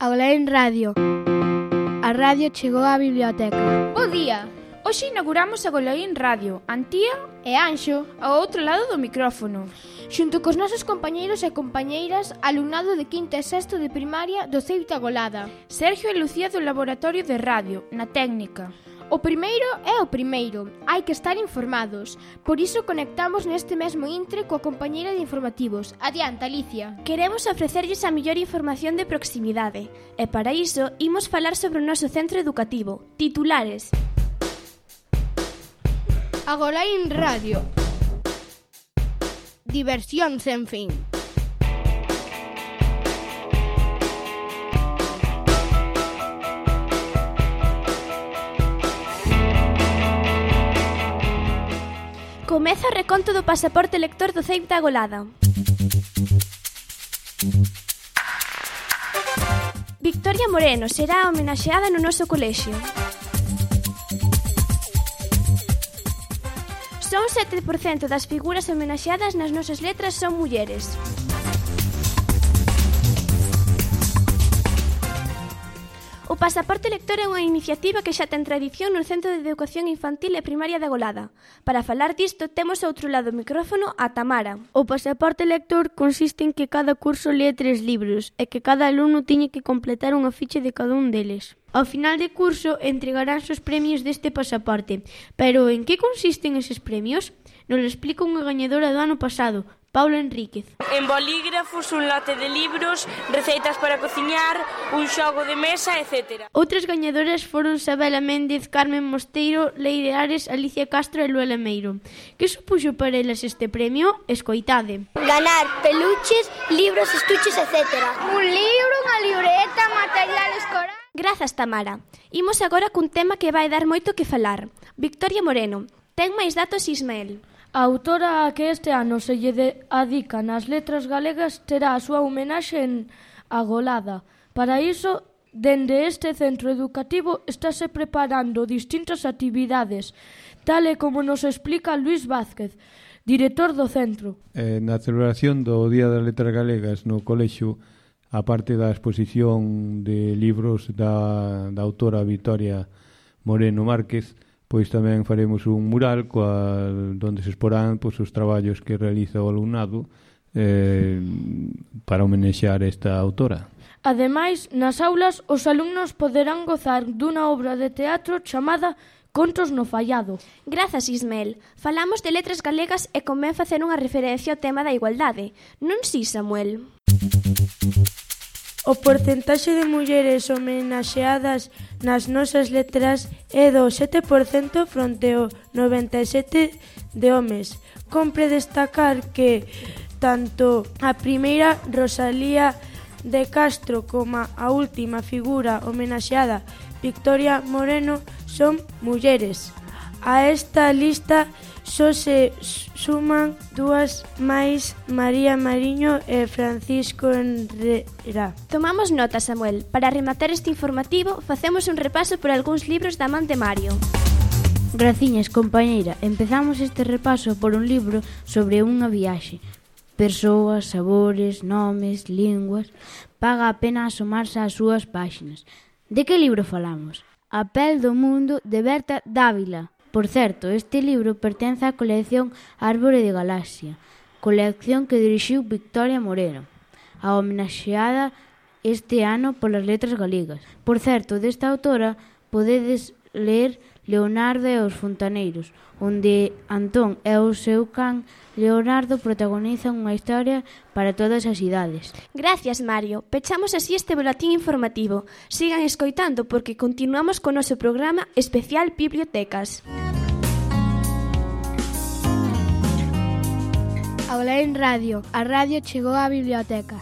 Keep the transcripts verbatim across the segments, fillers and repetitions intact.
Agolaín Radio. A radio chegou á biblioteca. Bo día! Hoxe inauguramos Agolaín Radio. Antía E Anxo, ao outro lado do micrófono. xunto cos nosos compañeiros e compañeiras, alumnado de quinto e sexto de primaria do Ceuta Golada. Sergio e Lucía do Laboratorio de Radio, na técnica. O primeiro é o primeiro, hai que estar informados. Por iso conectamos neste mesmo intre coa compañeira de informativos. Adiante, Alicia. Queremos ofrecerlles a mellor información de proximidade e para iso imos falar sobre o noso centro educativo. Titulares. Agolaín Radio. Diversión sen fin. Comeza o reconto do pasaporte lector do Ceuta Golada. Victoria Moreno será homenaxeada no noso colexio. Só un sete por cento das figuras homenaxeadas nas nosas letras son mulleres. O pasaporte lector é unha iniciativa que xa ten tradición no Centro de Educación Infantil e Primaria da Golada. Para falar disto, temos ao outro lado do micrófono a Tamara. O pasaporte lector consiste en que cada curso lee tres libros e que cada alumno teñe que completar unha ficha de cada un deles. Ao final de curso entregaránse os premios deste pasaporte. Pero en que consisten eses premios? Nos lo explica unha gañadora do ano pasado, Paula Enríquez. En bolígrafos, un lote de libros, receitas para cociñar, un xogo de mesa, etcétera. Outras gañadoras foron Sabela Méndez, Carmen Mosteiro, Leire Ares, Alicia Castro e Luela Meiro. Que supuxo para elas este premio? Escoitade. Ganar peluches, libros, estuches, etcétera. Un libro, unha libreta, material escolar. Grazas, Tamara. Imos agora cun tema que vai dar moito que falar. Victoria Moreno. Ten máis datos, Ismael. A autora a que este ano se lle adica nas letras galegas terá a súa homenaxe en Agolada. Para iso, dende este centro educativo estáse preparando distintas actividades, tal e como nos explica Luís Vázquez, director do centro. Eh, na celebración do Día das Letras Galegas no colexio, a parte da exposición de libros da, da autora Victoria Moreno Márquez, pois tamén faremos un mural coa, donde se exporán pois, os traballos que realiza o alumnado eh, para homenexear esta autora. Ademais, nas aulas, os alumnos poderán gozar dunha obra de teatro chamada Contos no Fallado. Grazas, Ismael. Falamos de letras galegas e convén facer unha referencia ao tema da igualdade. Non si, Samuel? O porcentaxe de mulleres homenaxeadas nas nosas letras é do sete por cento fronte ao noventa e sete por cento de homes. Compre destacar que tanto a primeira Rosalía de Castro como a última figura homenaxeada Victoria Moreno son mulleres. A esta lista só se suman dúas máis, María Mariño e Francisco Enrera. Tomamos nota, Samuel. Para rematar este informativo, facemos un repaso por algúns libros da man de Mario. Graciñas, compañeira. Empezamos este repaso por un libro sobre unha viaxe. Persoas, sabores, nomes, linguas. Paga a pena asomarse ás súas páxinas. De que libro falamos? A pel do mundo, de Berta Dávila. Por certo, este libro pertence á colección Árbore de Galaxia, colección que dirixiu Victoria Moreno, a homenaxeada este ano polas letras galegas. Por certo, desta autora podedes ler Leonardo e os fontaneiros, onde Antón e o seu can Leonardo protagonizan unha historia para todas as idades. Gracias, Mario. Pechamos así este boletín informativo. Sigan escoitando porque continuamos con o noso programa especial Bibliotecas. Agolaín Radio. A radio chegou á biblioteca.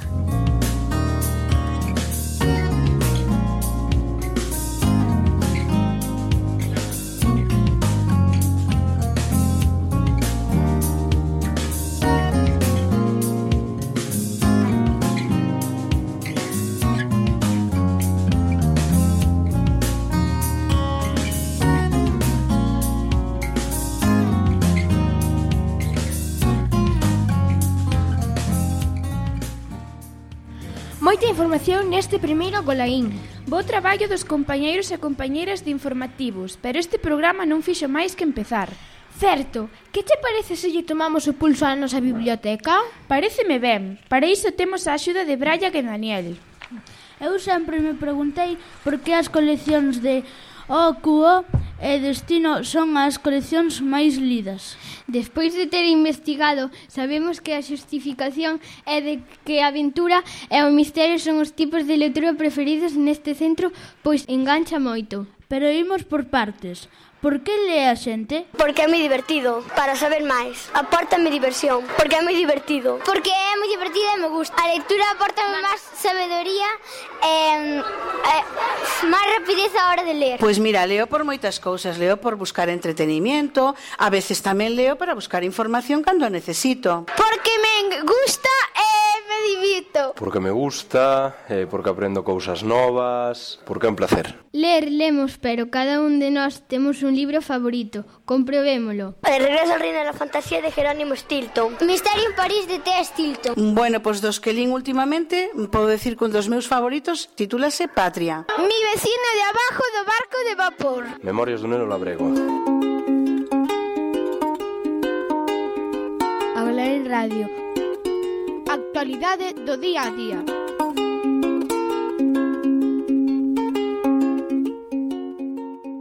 Moita información neste primeiro Agolaín. Bo traballo dos compañeiros e compañeiras de informativos, pero este programa non fixo máis que empezar. Certo, que te parece se lle tomamos o pulso á nosa biblioteca? Paréceme ben, para iso temos a axuda de Braia e Daniel. Eu sempre me preguntei por que as coleccións de O Q O e Destino son as coleccións máis lidas. Despois de ter investigado, sabemos que a xustificación é de que a aventura e o misterio son os tipos de lectura preferidos neste centro, pois engancha moito. Pero imos por partes. Por que lee a xente? Porque é moi divertido, para saber máis. Apórtame diversión, porque é moi divertido. Porque é moi divertido e me gusta. A lectura apórtame máis sabedoría e, e máis rapidez a hora de ler. Pois mira, leo por moitas cousas. Leo por buscar entretenimiento, a veces tamén leo para buscar información cando a necesito. Porque me gusta e me divirto. Porque me gusta, eh, porque aprendo cousas novas, porque é un placer. Ler, lemos, pero cada un de nós temos un libro favorito. Comprobémolo. El regreso al reino de la fantasía de Jerónimo Stilton. Misterio en París de T. Stilton. Bueno, pois dos que lín últimamente, podo decir que un dos meus favoritos titúlase Patria. Mi vecino de abajo do barco de vapor. Memorias dun neno labrego. Agolaín Radio. Actualidade do día a día.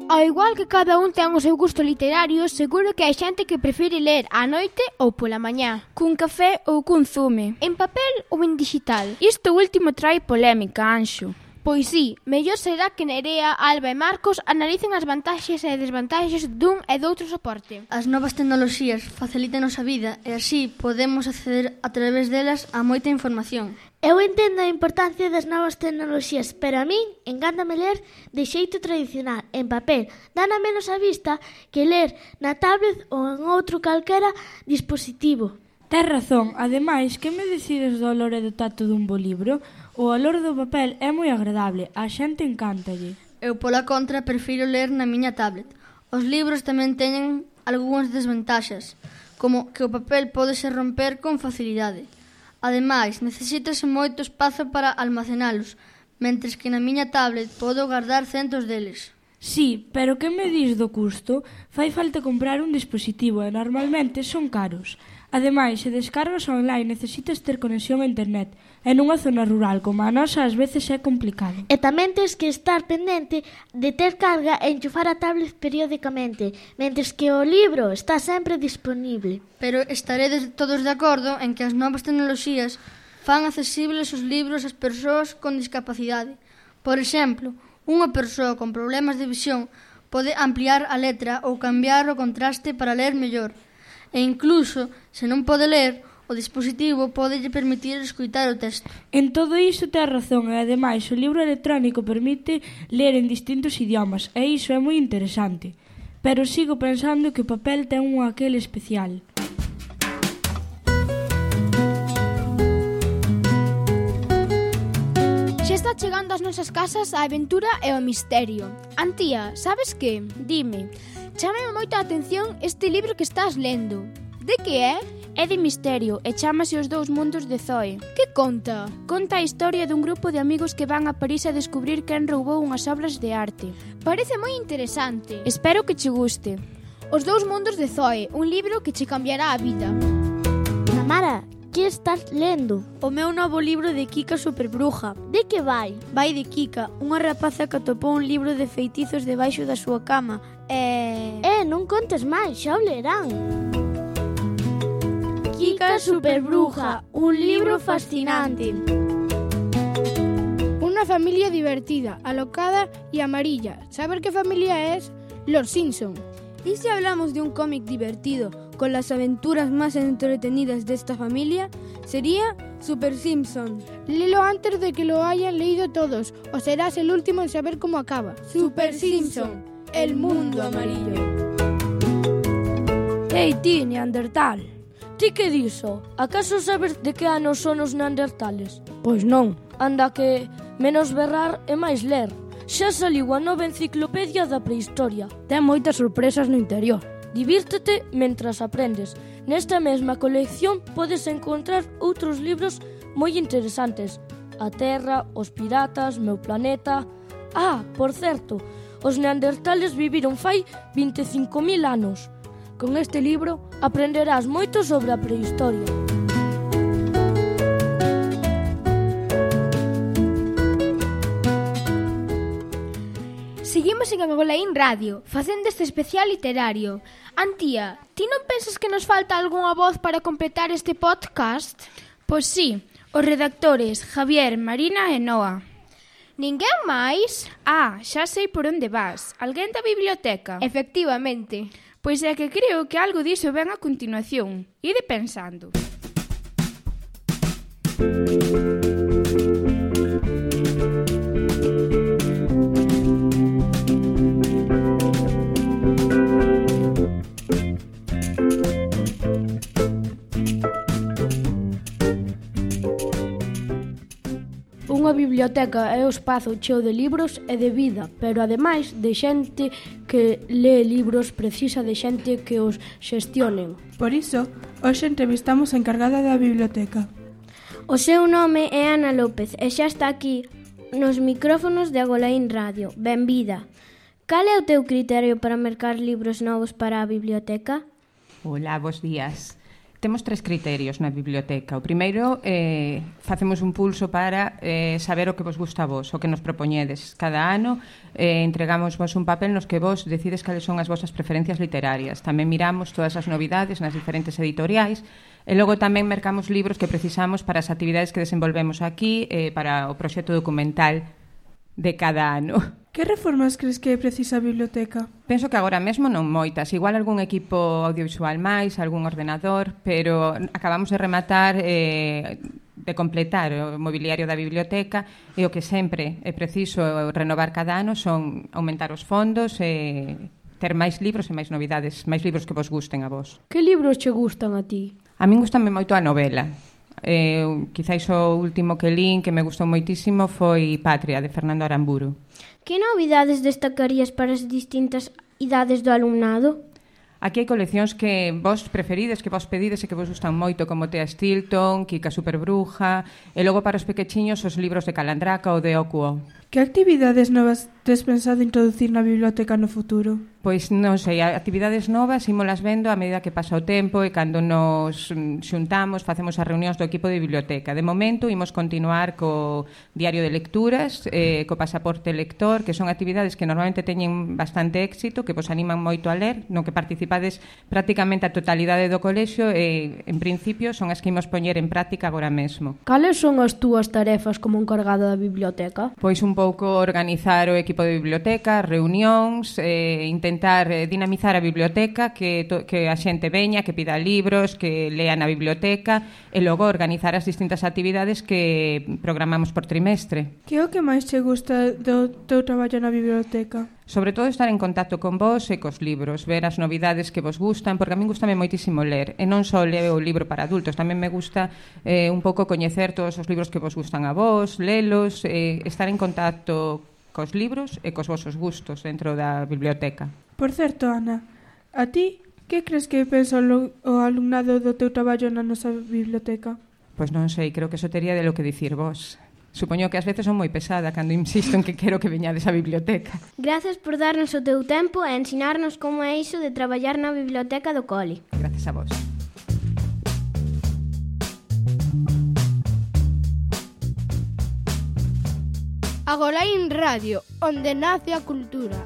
Ao igual que cada un ten o seu gusto literario, seguro que hai xente que prefire ler á noite ou pola mañá. Cun café ou cun zume. En papel ou en digital. Isto último trae polémica, Anxo. Pois sí, mellor será que Nerea, Alba e Marcos analicen as vantaxes e desvantaxes dun e doutro soporte. As novas tecnoloxías facilitan a vida e así podemos acceder a través delas a moita información. Eu entendo a importancia das novas tecnoloxías, pero a min encántame ler de xeito tradicional, en papel. Dana menos a vista que ler na tablet ou en outro calquera dispositivo. Tes razón, ademais, que me decides do olor e do tacto dun bo libro? O olor do papel é moi agradable, a xente encántalle. Eu, pola contra, prefiro ler na miña tablet. Os libros tamén teñen algunhas desventaxas, como que o papel pódese romper con facilidade. Ademais, necesítase moito espazo para almacenalos, mentres que na miña tablet podo guardar centos deles. Sí, pero que me dis do custo? Fai falta comprar un dispositivo e normalmente son caros. Ademais, se descargas online necesitas ter conexión a internet e nunha zona rural como a nosa ás veces é complicado. E tamén tens que estar pendente de ter carga e enchufar a tablet periódicamente, mentres que o libro está sempre disponible. Pero estaredes todos de acordo en que as novas tecnoloxías fan accesibles os libros ás persoas con discapacidade. Por exemplo, unha persoa con problemas de visión pode ampliar a letra ou cambiar o contraste para ler mellor. E incluso, se non pode ler, o dispositivo podelle permitir escoitar o texto. En todo iso tes razón e, ademais, o libro electrónico permite ler en distintos idiomas e iso é moi interesante. Pero sigo pensando que o papel ten un aquel especial. Xa está chegando ás nosas casas a aventura e o misterio. Antía, sabes que? Dime. Chámame moito a atención este libro que estás lendo. De que é? É de misterio e chámase Os dous mundos de Zoe. Que conta? Conta a historia dun grupo de amigos que van a París a descubrir quen roubou unhas obras de arte. Parece moi interesante. Espero que che guste. Os dous mundos de Zoe, un libro que che cambiará a vida. Tamara, que estás lendo? O meu novo libro de Kika Superbruja. De que vai? Vai de Kika, unha rapaza que atopou un libro de feitizos debaixo da súa cama. E... Eh, non contes máis, xa o lerán. Kika Superbruja, un libro fascinante. Una familia divertida, alocada y amarilla. ¿Saber qué familia es? Los Simpson. ¿Y si hablamos de un cómic divertido, con las aventuras más entretenidas de esta familia? Sería Super Simpson. Léelo antes de que lo hayan leído todos, o serás el último en saber cómo acaba. Super Simpson, el mundo amarillo. Ei, ti, Neandertal, ti que diso? Acaso sabes de que ano son os neandertales? Pois non. Anda que menos berrar e máis ler. Xa saliu a nova enciclopedia da prehistoria. Ten moitas sorpresas no interior. Divírtete mentras aprendes. Nesta mesma colección podes encontrar outros libros moi interesantes, a Terra, os piratas, meu planeta... Ah, por certo, os neandertales viviron fai vinte e cinco mil anos. Con este libro aprenderás moito sobre a prehistoria. Seguimos en Agolaín Radio, facendo este especial literario. Antía, ti non pensas que nos falta algunha voz para completar este podcast? Pois sí, os redactores Javier, Marina e Noa. Ninguén máis? Ah, xa sei por onde vas. Alguén da biblioteca? Efectivamente. Pois é que creo que algo diso ven a continuación. Ide pensando. Unha biblioteca é o espazo cheo de libros e de vida, pero ademais de xente que lee libros precisa de xente que os xestionen. Por iso, hoxe entrevistamos a encargada da biblioteca. O seu nome é Ana López e xa está aquí nos micrófonos de Agolaín Radio. Benvida. Cal é o teu criterio para mercar libros novos para a biblioteca? Hola, bos días. Temos tres criterios na biblioteca. O primeiro, eh, facemos un pulso para eh, saber o que vos gusta a vos, o que nos propoñedes. Cada ano eh, entregamos vos un papel nos que vos decides cales son as vosas preferencias literarias. Tamén miramos todas as novidades nas diferentes editoriais e logo tamén mercamos libros que precisamos para as actividades que desenvolvemos aquí, eh, para o proxecto documental de cada ano. Que reformas crees que precisa a biblioteca? Penso que agora mesmo non moitas, igual algún equipo audiovisual máis, algún ordenador, pero acabamos de rematar eh, de completar o mobiliario da biblioteca e o que sempre é preciso renovar cada ano son aumentar os fondos e ter máis libros e máis novidades, máis libros que vos gusten a vos. Que libros che gustan a ti? A min gustame moito a novela. Eh, quizáis o último que lín que me gustou moitísimo foi Patria, de Fernando Aramburu. Que novidades destacarías para as distintas idades do alumnado? Aquí hai coleccións que vos preferides, que vos pedides e que vos gustan moito, como Tea Stilton, Kika Superbruja, e logo para os pequechiños os libros de Calandraca ou de Okuo. Que actividades novas tes pensado introducir na biblioteca no futuro? Pois non sei, actividades novas ímolas vendo a medida que pasa o tempo e cando nos xuntamos, facemos as reunións do equipo de biblioteca. De momento, imos continuar co diario de lecturas, eh, co pasaporte lector, que son actividades que normalmente teñen bastante éxito, que vos animan moito a ler, no que participades prácticamente a totalidade do colexio e, en principio, son as que imos poñer en práctica agora mesmo. Cales son as túas tarefas como encargada da biblioteca? Pois un pouco organizar o equipo de biblioteca, reunións, eh, intentar eh, dinamizar a biblioteca, que, to, que a xente veña, que pida libros, que lea na biblioteca e logo organizar as distintas actividades que programamos por trimestre. Que é o que máis che gusta do teu traballo na biblioteca? Sobre todo estar en contacto con vos e cos libros, ver as novidades que vos gustan, porque a min gustame moitísimo ler, e non só leo o libro para adultos, tamén me gusta eh, un pouco coñecer todos os libros que vos gustan a vos, lelos, eh, estar en contacto cos libros e cos vosos gustos dentro da biblioteca. Por certo, Ana, a ti, que crees que pensa o alumnado do teu traballo na nosa biblioteca? Pois non sei, creo que eso tería de lo que dicir vos. Supoño que ás veces son moi pesada cando insisto en que quero que veñades á biblioteca. Gracias por darnos o teu tempo e ensinarnos como é iso de traballar na biblioteca do cole. Gracias a vos. Agolaín Radio, onde nace a cultura.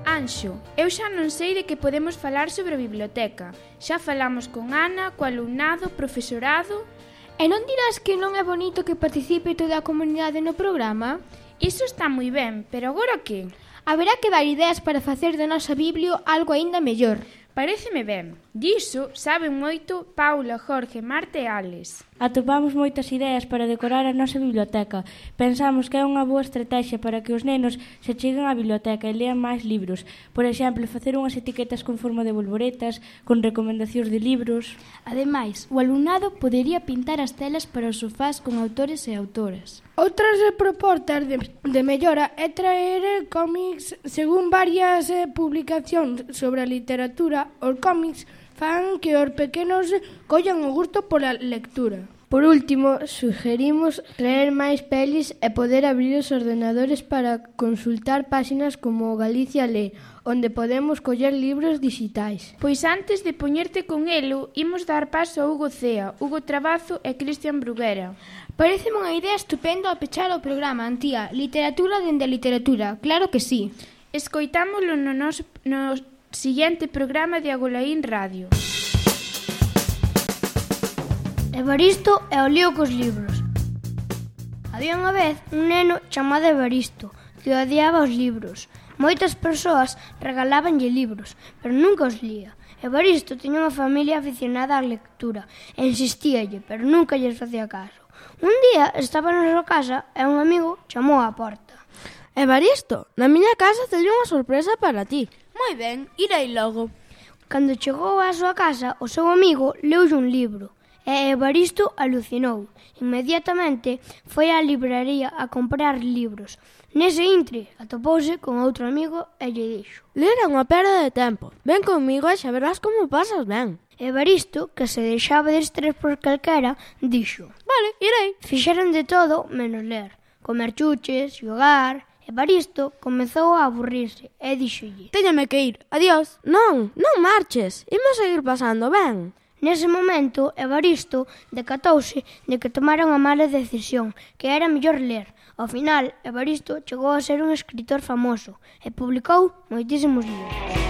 Anxo, eu xa non sei de que podemos falar sobre a biblioteca. Xa falamos con Ana, co alumnado, profesorado... E non dirás que non é bonito que participe toda a comunidade no programa? Iso está moi ben, pero agora que? Haberá que dar ideas para facer da nosa biblio algo aínda mellor. Paréceme ben. Diso saben moito Paula, Jorge, Marta e Alex. Atopamos moitas ideas para decorar a nosa biblioteca. Pensamos que é unha boa estrategia para que os nenos se cheguen á biblioteca e lean máis libros. Por exemplo, facer unhas etiquetas con forma de bolboretas, con recomendacións de libros. Ademais, o alumnado podería pintar as telas para os sofás con autores e autoras. Outras propostas de, de mellora é traer cómics. Según varias eh, publicacións sobre a literatura, os cómics fan que os pequenos collan o gusto pola lectura. Por último, sugerimos leer máis pelis e poder abrir os ordenadores para consultar páxinas como Galicia Lé, onde podemos coller libros digitais. Pois antes de poñerte con elo, imos dar paso a Hugo Cea, Hugo Trabazo e Cristian Bruguera. Pareceme unha idea estupenda ao pechar o programa, Antía. Literatura dende a literatura, claro que sí. Escoitámolo no noso no siguiente programa de Agolaín Radio. Evaristo e o lío cos libros. Había unha vez un neno chamado Evaristo que odiaba os libros. Moitas persoas regalábanlle libros, pero nunca os lía. Evaristo tiña unha familia aficionada á lectura e insistíalle, pero nunca lles facía caso. Un día estaba na súa casa e un amigo chamou á porta. Evaristo, na miña casa teño unha sorpresa para ti. Moi ben, irei logo. Cando chegou á súa casa, o seu amigo leulle un libro. E Evaristo alucinou. Inmediatamente foi á libraría a comprar libros. Nese intre atopouse con outro amigo e lle dixo: Ler é unha perda de tempo. Ven comigo e xa verás como pasas ben. Evaristo, que se deixaba de estrés por calquera, dixo: Vale, irei. Fixeron de todo menos ler. Comer chuches, xogar. Evaristo comezou a aburrirse e díxolle: Téñame que ir, adiós. Non, non marches, imos seguir pasando, ben. Nese momento, Evaristo decatouse de que tomara unha mala decisión, que era mellor ler. Ao final, Evaristo chegou a ser un escritor famoso e publicou moitísimos libros.